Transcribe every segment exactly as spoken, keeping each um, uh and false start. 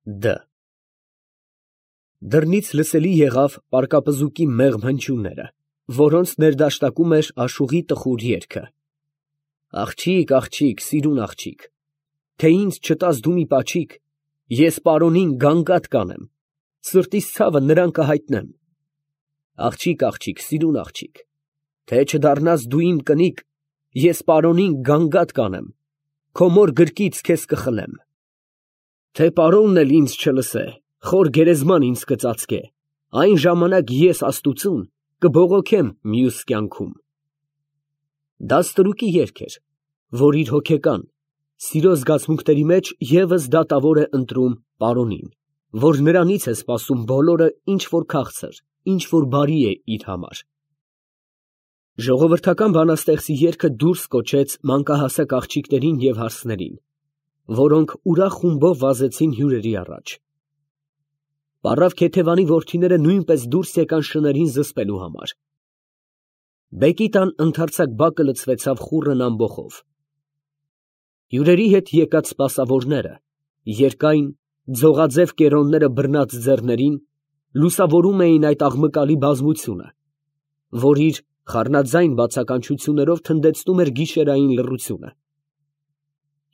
Դ Դռնից լսելի եղավ պառկապզուկի մեղմ հնչյունները, որոնց ներդաշտակում էր աշուղի տխուր երգը. Աղջիկ, աղջիկ, սիրուն աղջիկ, թե ինձ չտաս դու մի պաչիկ, ես պարոնին գանգատ կանեմ, սրտիս ցավը նրան կհայտնեմ։ Աղջիկ, աղջիկ, սիրուն աղջիկ, թե չդառնաս դու իմ կնիկ, ես պարոնին գանգատ կանեմ, քո մոր գրկից քեզ կխլեմ։ Թե պարոնն էլ ինձ չլսե, խոր գերեզման ինձ կծածկե, այն ժամանակ ես աստուծուն կբողոքեմ մյուս կյանքում։ Դա ստրուկի երգ էր, որ իր հոգեկան, սիրո զգացմունքների մեջ ևս դատավոր է ընտրում պարոնին, որ նրանից է սպասում բոլորը, ինչ որ քաղցր, ինչ որ բարի է իր համար։ Ժողովրդական բանաստեղծի երգը դուրս կոչեց մանկահասակ աղջիկներին և հարսներին, որոնք ուրախ խումբով վազեցին հյուրերի առաջ։ Պառավ Քեթևանի որդիները նույնպես դուրս եկան շներին զսպելու համար։ Բեկի տան ընդարձակ բակը լցվեցավ խուռն ամբոխով։ Հյուրերի հետ եկած սպասավորները, երկայն, ձողաձև կերոնները բռնած ձեռներին, լուսավորում էին այդ աղմկալի բազմությունը, որ իր խառնաձայն բացականչություններով թնդեցնում էր գիշերային լռությունը։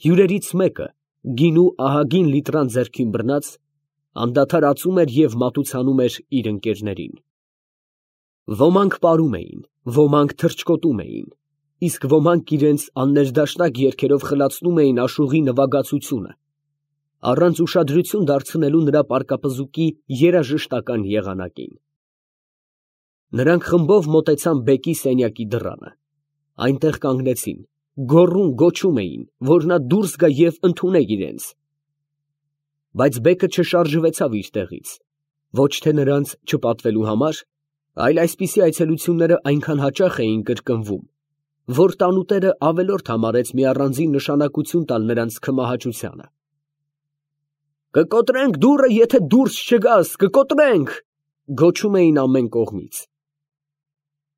Հյուրերից մեկը, գինու ահագին լիտրան ձեռքին բռնած, անդադար ածում էր և մատուցանում էր իր ընկերներին։ Ոմանք պարում էին, ոմանք թռչկոտում էին, իսկ ոմանք իրենց աններդաշնակ երգերով խլացնում էին աշուղի նվագածությունը, առանց ուշադրություն դարձնելու նրա պառկապզուկի երաժշտական եղանակին։ Նրանք խմբով մոտեցան բեկի սենյակի դռանը, այնտեղ կանգնեցին, գոռում գոչում էին, որ նա դուրս գա և ընդունե իրենց։ Բայց բեկը չշարժվեցավ իր տեղից, ոչ թե նրանց չպատվելու համար, այլ այսպիսի այցելությունները այնքան հաճախ էին կրկնվում, որ տանուտերը ավելորդ համարեց մի առանձին նշանակություն տալ նրանց քմահաճությանը։ «Կկոտրենք դուռը, եթե դուրս չգաս, կկոտրենք», գոչում էին ամեն կողմից։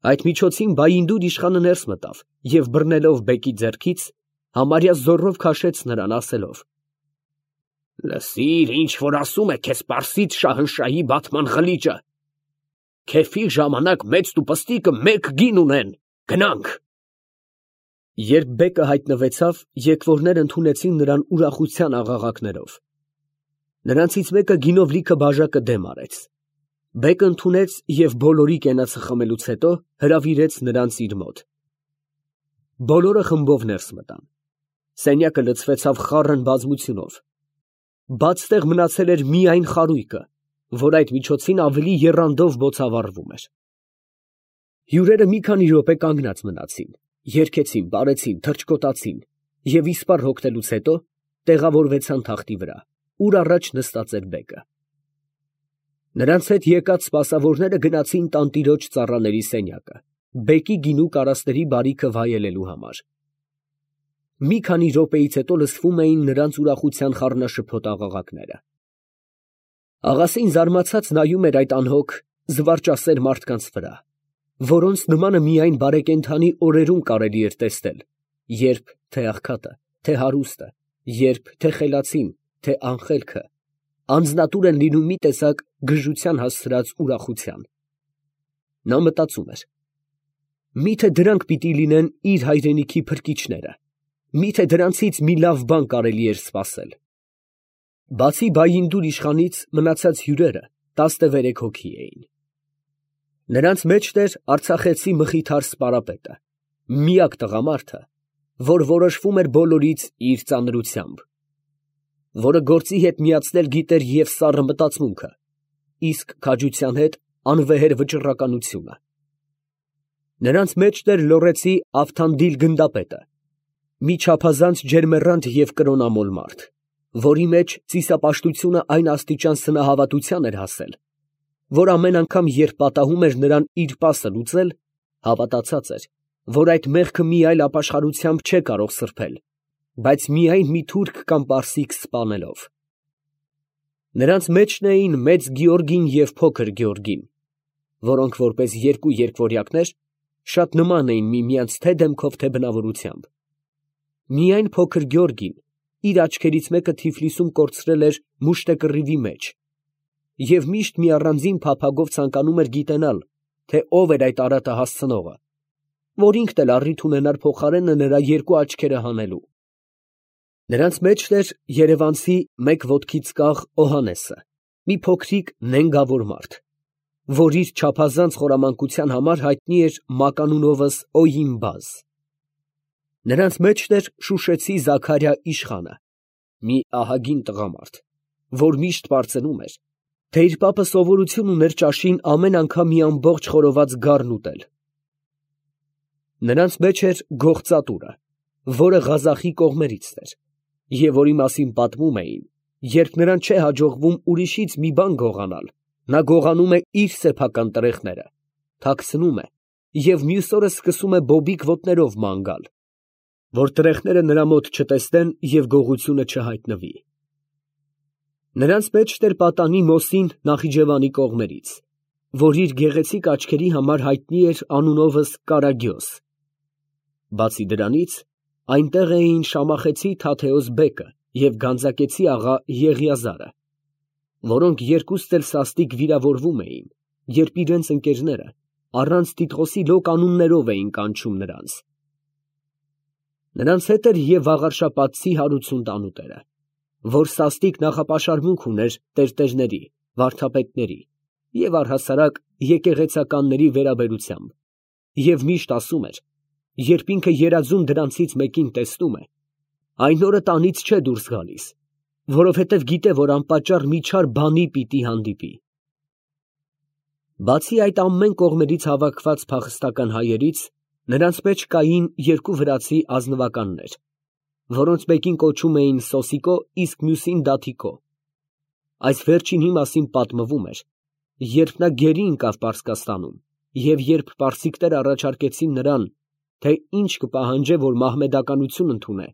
Այդ միջոցին Բայինդուր իշխանը ներս մտավ և բռնելով բեկի ձեռքից, համարյա զոռով քաշեց նրան, ասելով. «Լսիր, ինչ որ ասում է քեզ Պարսից շահնշահի բատման ղլիճը. քեֆի ժամանակ մեծ տուպստիկը մեկ գին ունեն, գնանք»։ Երբ բեկը հայտնվեցավ, եկվորներ ընդունեցին նրան ուրախության աղաղակներով։ Նրանցից մեկը գինով լիքը բաժակը դեմ արեց։ Բեկը ընդունեց և բոլորի կենացը խմելուց հետո հրավիրեց նրանց իր մոտ։ Բոլորը խմբով ներս մտան։ Սենյակը լցվեցավ խառն բազմությունով։ Բաց տեղ մնացել էր միայն խարույկը, որ այդ միջոցին ավելի եռանդով բոցավառվում էր։ Հյուրերը մի քանի րոպե կանգնած մնացին, երգեցին, պարեցին, թռչկոտացին և իսպառ հոգնելուց հետո տեղավորվեցան թախտի վրա, ուր առաջ նստած էր բեկը։ Նրանց հետ եկած սպասավորները գնացին տանտիրոջ ծառաների սենյակը, բեկի գինու կարասների բարիքը վայելելու համար։ Մի քանի րոպեից հետո լսվում էին նրանց ուրախության խառնաշփոթ աղաղակները։ Աղասին զարմացած նայում էր այդ անհոգ, զվարճասեր մարդկանց վրա, որոնց նմանը միայն բարեկենդանի օրերում կարելի էր տեսնել, երբ թե աղքատը, թե հարուստը, երբ թե խելացին, թե անխելքը, անձնատուր են լինում մի տեսակ գժության հասցրած ուրախության։ Նա մտածում էր. միթե դրանք պիտի լինեն իր հայրենիքի փրկիչները, միթե դրանցից մի լավ բան կարելի էր սպասել։ Բացի Բայինդուր իշխանից մնացած հյուրերը տասնվերեք հոգի էին։ Նրանց մեջն էր արցախեցի Մխիթար Սպարապետը, միակ տղամարդը, որ որոշվում էր բոլորից իր ծանրությամբ, որը գործի հետ միացնել գիտեր և սառը մտածմունքը, իսկ քաջության հետ անվեհեր վճռականությունը։ Նրանց մեջն էր լոռեցի Ավթանդիլ գնդապետը, մի չափազանց ջերմեռանդ և կրոնամոլ մարդ, որի մեջ ծիսապաշտությունը այն աստիճան սնահավատության էր հասել, որ ամեն անգամ, երբ պատահում էր նրան իր պասը լուծել, հավատացած էր, որ այդ մեղքը մի այլ ապաշխարությամբ չէ կարող սրբել, բայց միայն մի թուրք կամ պարսիկ սպանելով։ Նրանց մեջն էին Մեծ Գեորգին և Փոքր Գեորգին, որոնք որպես երկու երկվորյակներ շատ նման էին միմյանց թե՛ դեմքով, թե՛ բնավորությամբ։ Միայն Փոքր Գեորգին իր աչքերից մեկը Թիֆլիսում կորցրել էր մուշտեկռիվի մեջ, և միշտ մի առանձին փափագով ցանկանում էր գիտենալ, թե ով էր այդ արատը հասցնողը, որ ինքն էլ առիթ ունենար փոխարենը նրա երկու աչքերը հանելու։ Նրանց մեջն էր երևանցի մեկ ոտքից կախ Օհաննեսը, մի փոքրիկ նենգավոր մարդ, որ իր չափազանց խորամանկության համար հայտնի էր մականունովս Օյիմբազ։ Նրանց մեջն էր շուշեցի Զաքարյա իշխանը, մի ահագին տղամարդ, որ միշտ պարծենում էր, թե իր պապը սովորություն ուներ ճաշին ամեն անգամ մի ամբողջ խորոված գառն ուտել։ Նրանց մեջ էր Գողծատուրը, որը Ղազախի կողմերից էր, և որի մասին պատմում էին, երբ նրան չէ հաջողվում ուրիշից մի բան գողանալ, նա գողանում է իր սեփական տրեխները, թաքցնում է և մյուս օրը սկսում է բոբիկ ոտներով ման գալ, որ տրեխները նրա մոտ չտեսնեն և գողությունը չհայտնվի։ Նրանց մեջն էր պատանի Մոսին Նախիջևանի կողմերից, որ իր գեղեցիկ աչքերի համար հայտնի էր անունովս Կարագյոս։ Բացի դրանից, այնտեղ էին Շամախեցի Թաթեոս բեկը և Գանձակեցի աղա Եղիազարը, որոնք երկուստ էլ սաստիկ վիրավորվում էին, երբ իրենց ընկերները առանց Տիտղոսի լոկ անուններով էին կանչում նրանց։ Նրանց հետ էր և Վաղարշապատցի Հարություն տանուտերը, որ սաստիկ նախապաշարմունք ուներ տերտերների, վարդապետների և առհասարակ եկեղեցականների վերաբերությամբ, և միշտ ասում էր, երբ ինքը երազում դրանցից մեկին տեսնում է, այն օրը տանից չէ դուրս գալիս, որովհետև գիտե, որ անպատճառ մի չար բանի պիտի հանդիպի։ Բացի այդ ամեն կողմերից հավաքված փախստական հայերից, նրանց մեջ կային երկու վրացի ազնվականներ, որոնց մեկին կոչում էին Սոսիկո, իսկ մյուսին Դաթիկո։ Այս վերջինի մասին պատմվում էր, երբ նա գերի ընկավ Պարսկաստանում, և երբ պարսիկները առաջարկեցին նրան, թե ինչ կպահանջե, որ մահմեդականություն ընդունե,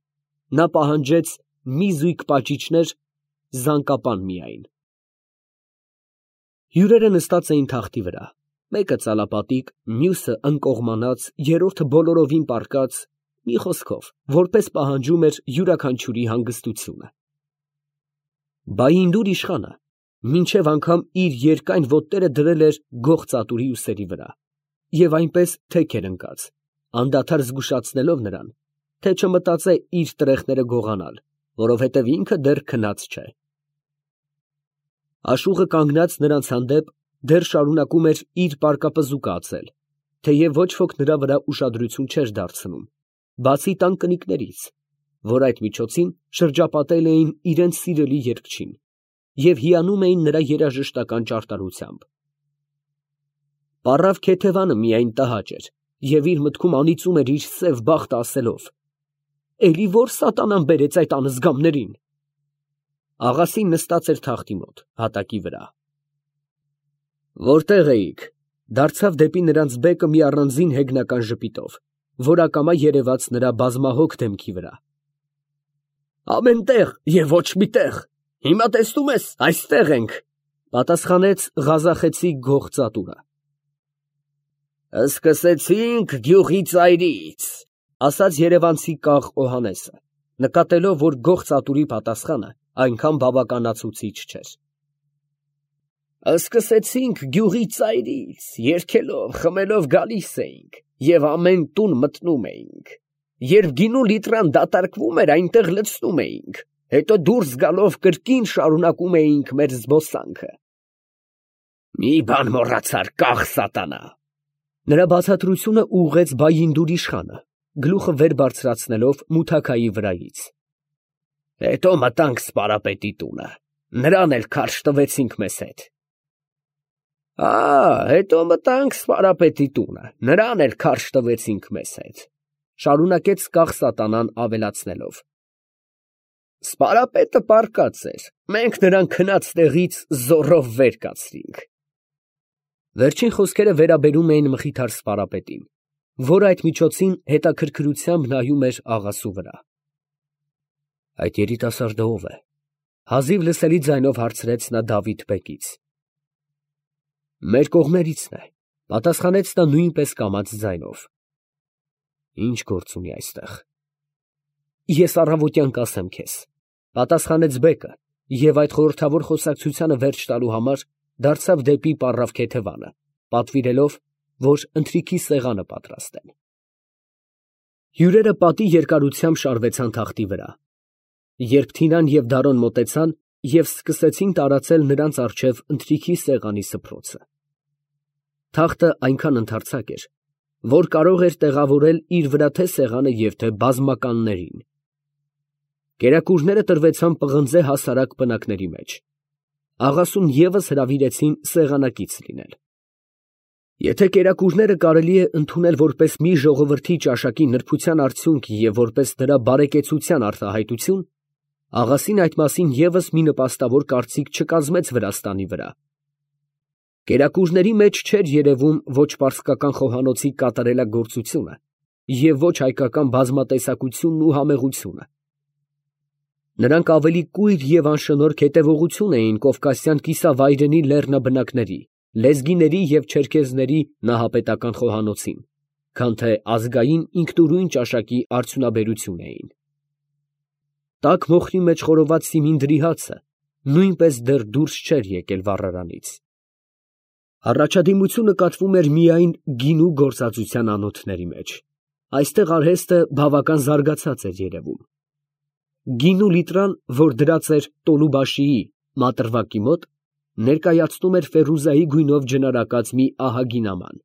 նա պահանջեց մի զույգ պաճիճներ, զանկապան միայն։ Հյուրերը նստած էին թախտի վրա, մեկը ծալապատիկ, մյուսը ընկողմանած, երրորդը բոլորովին պառկած, մի խոսքով, որպես պահանջում էր յուրաքանչյուրի հանգստությունը։ Բայինդուր իշխանը մինչև անգամ իր երկայն ոտները դրել էր Գողծատուրի ուսերի վրա և այնպես թեք էր ընկած, անդադար զգուշացնելով նրան, թե չմտածե իր տրեխները գողանալ, որովհետև ինքը դեռ քնած չէ։ Աշուղը կանգնած նրանց հանդեպ դեռ շարունակում էր իր պարկապզուկը ածել, թեև ոչ ոք նրա վրա ուշադրություն չէր դարձնում, բացի տան կնիկներից, որ այդ միջոցին շրջապատել էին իրենց սիրելի երգչին և հիանում էին նրա երաժշտական ճարտարությամբ։ Պառավ Քեթևանը միայն տհաճ էր և իր մտքում անիծում էր իր սև բախտը ասելով. «Էլի ո՞ր սատանան բերեց այդ անզգամներին»։ Աղասին նստած էր թախտի մոտ, հատակի վրա։ «Որտե՞ղ էիք», դարձավ դեպի նրանց բեկը մի առանձին հեգնական ժպիտով, որ ակամա երևաց նրա բազմահոգ դեմքի վրա։ «Ամեն տեղ և ոչ մի տեղ, հիմա տեսնում ես, այստեղ ենք», պատասխանեց ղազախեցի Գողծատուրը։ «Սկսեցինք գյուղի ծայրից», ասաց երևանցի կաղ Օհաննեսը, նկատելով, որ Գողծատուրի պատասխանը այնքան բավականացուցիչ չէր։ «Սկսեցինք գյուղի ծայրից, երգելով, խմելով գալիս էինք և ամեն տուն մտնում էինք, երբ գինու լիտրան դատարկվում էր, այնտեղ լցնում էինք, հետո դուրս գալով կրկին շարունակում էինք մեր զբոսանքը»։ «Մի բան մոռացար, կաղ սատանա»։ Նրա բացատրությունը ուղղեց Բայինդուր իշխանը, գլուխը վեր բարձրացնելով մութաքայի վրայից։ «Հետո մտանք Սպարապետի տունը, նրան էլ քարշ տվեցինք մեզ հետ»։ «Ա, հետո մտանք Սպարապետի տունը, նրան էլ քարշ տվեցինք մեզ հետ», շարունակեց կաղ սատանան ավելացնելով։ «Սպարապետը պառկած էր, մենք նրան քնած տեղից զոռով վեր կացրինք»։ Վերջին խոսքերը վերաբերում էին Մխիթար Սպարապետին, որ այդ միջոցին հետաքրքրությամբ նայում էր աղասու վրա։ «Այդ երիտասարդը ո՞վ է», հազիվ լսելի ձայնով հարցրեց նա Դավիթ բեկից։ «Մեր կողմերիցն է», պատասխանեց նա նույնպես կամաց ձայնով։ «Ի՞նչ գործ ունի այստեղ»։ «Ես առավոտյան կասեմ քեզ»։ Պատասխանեց բեկը և այդ խորհրդավոր խոսակցությանը վերջ տալու համար դարձավ դեպի պառավ քեթևանը, պատվիրելով, որ ընթրիքի սեղանը պատրաստեն։ Հյուրերը պատի երկարությամբ շարվեցան թախտի վրա։ Երբ Թինան և Դարոն մոտեցան և սկսեցին տարածել նրանց առջև ընթրիքի սեղանի սփռոցը, թախտը այնքան ընդարձակ էր, որ կարող էր տեղավորել իր վրա թե սեղանը և թե բազմականներին։ Կերակուրները տրվեցան պղնձե հասարակ պնակների մեջ։ Աղասուն ևս հրավիրեցին սեղանակից լինել։ Եթե կերակուրները կարելի է ընդունել որպես մի ժողովրդի ճաշակի նրբության արդյունք և որպես նրա բարեկեցության արտահայտություն, աղասին այդ մասին ևս մի նպաստավոր կարծիք չկազմեց Վրաստանի վրա։ Կերակուրների մեջ չէր երևում ոչ պարսկական խոհանոցի կատարելագործությունը և ոչ հայկական բազմատեսակությունն ու համեղությունը։ Նրանք ավելի կույր և անշնորհք հետևողություն էին կովկասյան կիսավայրենի լեռնաբնակների, լեզգիների և չերքեզների նահապետական խոհանոցին, քան թե ազգային ինքնուրույն ճաշակի արդյունաբերություն էին։ Տաք մոխրի մեջ խորոված սիմինդրի հացը նույնպես դեռ դուրս չէր եկել վառարանից։ Առաջադիմություն նկատվում էր միայն գինու գործածության անոթների մեջ։ Այստեղ արհեստը բավական զարգացած էր երևում։ Գինու լիտրան, որ դրած էր Տոլուբաշիի մատրվակի մոտ, ներկայացնում էր Ֆերուզայի գույնով ջնարակած մի ահագին աման,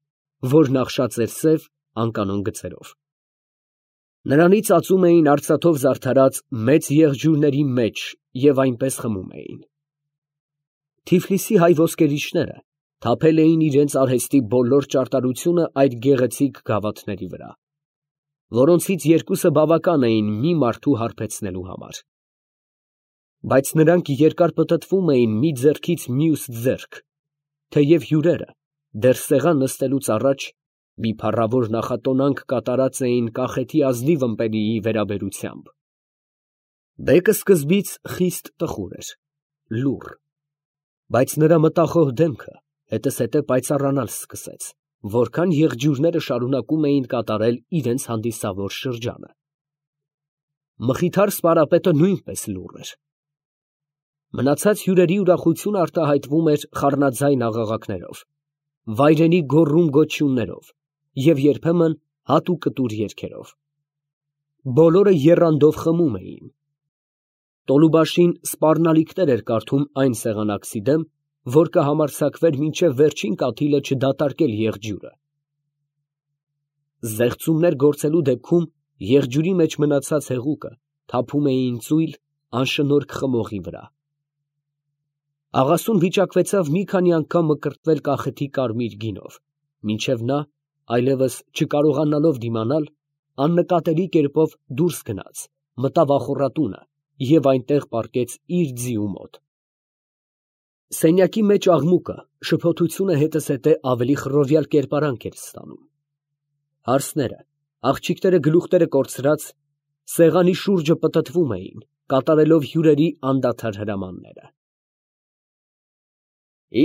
որ նախշած էր սև անկանոն գծերով։ Նրանից ածում էին արծաթով զարդարած մեծ եղջյուրների մեջ և այնպես խմում էին։ Թիֆլիսի հայ ոսկերիչները թափել էին իրենց արհեստի բոլոր ճարտարությունը այդ գեղեցիկ գավաթների վրա, որոնցից երկուսը բավական էին մի մարդու հարբեցնելու համար։ Բայց նրանք երկար պտտվում էին մի ձեռքից մյուս ձեռք, թեև հյուրերը դեռ սեղան նստելուց առաջ մի փառավոր նախատոնանք կատարած էին կախեթի ազնիվ ըմպելիի վերաբերությամբ։ Բեկը սկզբից խիստ տխուր էր, լուռ, բայց նրա մտախոհ դեմքը հետզհետե պայծառանալ սկսեց, որքան եղջյուրները շարունակում էին կատարել իրենց հանդիսավոր շրջանը։ Մխիթար սպարապետը նույնպես լուռ էր։ Մնացած հյուրերի ուրախությունը արտահայտվում էր խառնաձայն աղաղակներով, վայրենի գոռում֊գոչյուններով և երբեմն հատուկտուր երգերով։ Բոլորը եռանդով խմում էին։ Տոլուբաշին սպառնալիքներ էր կարդում այն սեղանակցի դեմ, որ կհամարձակվեր մինչև վերջին կաթիլը չդատարկել եղջյուրը։ Զեղծումներ գործելու դեպքում եղջյուրի մեջ մնացած հեղուկը թափում էին ծույլ, անշնորհք խմողի վրա։ Աղասուն վիճակվեցավ մի քանի անգամ մկրտվել կախեթի կարմիր գինով, մինչև նա, այլևս չկարողանալով դիմանալ, աննկատելի կերպով դուրս գնաց, մտավ ախոռատունը և այնտեղ պառկեց իր ձիու մոտ։ Սենյակի մեջ աղմուկը, շփոթությունը հետզհետե ավելի խռովյալ կերպարանք էր ստանում։ Հարսները, աղջիկները գլուխները կորցրած, սեղանի շուրջը պտտվում էին, կատարելով հյուրերի անդադար հրամանները։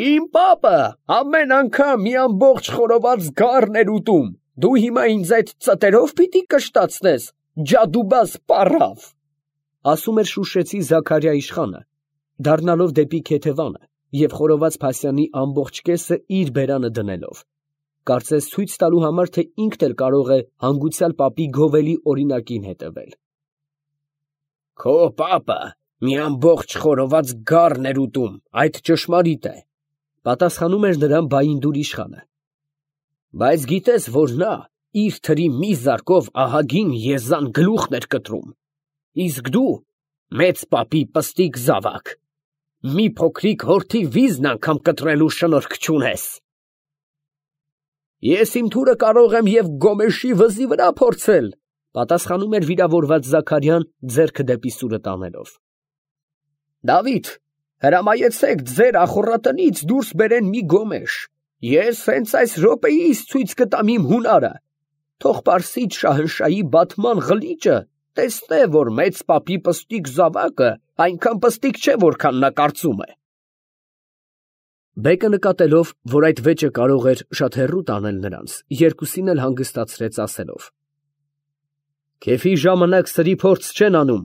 Իմ պապը ամեն անգամ մի ամբողջ խորոված գառն էր ուտում, դու հիմա ինձ այդ ծտերով պիտի կշտացնես, ջադուբազ պառավ, ասում էր շուշեցի Զաքարյա իշխանը, դառնալով դեպի քեթևանը և խորոված փասյանի ամբողջ կեսը իր բերանը դնելով, կարծես ցույց տալու համար, թե ինքն էլ կարող է հանգուցյալ պապի գովելի օրինակին հետևել։ Քո պապը մի ամբողջ խորոված գառն էր ուտում, այդ ճշմարիտ է, պատասխանում էր նրան Բայինդուր իշխանը, բայց գիտես, որ նա իր թրի մի զարկով ահագին եզան գլուխն էր կտրում, իսկ դու մեծ պապի պստիկ զավակ, մի փոքրիկ հորթի վիզն անգամ կտրելու շնորհք չունես։ Ես իմ թուրը կարող եմ և գոմեշի վզի վրա փորձել, պատասխանում էր վիրավորված Զաքարյան ձեռքը դեպի սուրը տանելով։ Դավիթ, հրամայեցեք ձեր ախոռատնից դուրս բերեն մի գոմեշ, ես հենց այս րոպեիս ցույց կտամ իմ հունարը, թող Պարսից շահնշահի բատման ղլիճը տեսնե, որ մեծ պապի պստիկ զավակը այնքան պստիկ չէ, որքան նա կարծում է։ Բեկը նկատելով, որ այդ վեճը կարող էր շատ հեռու տանել նրանց, երկուսին էլ հանգստացրեց ասելով. Քեֆի ժամանակ սրի փորձ չեն անում։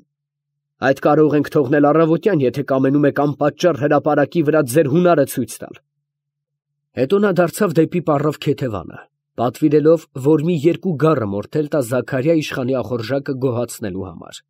Այդ կարող ենք թողնել առավոտյան, եթե կամենում եք անպատճառ հրապարակի վրա ձեր հունարը ցույց տալ։ Հետո նա դարձավ դեպի պառավ քեթևանը, պատվիրելով, որ մի երկու գառը մորթել տա Զաքարիա իշխանի ախորժակը գոհացնելու համար։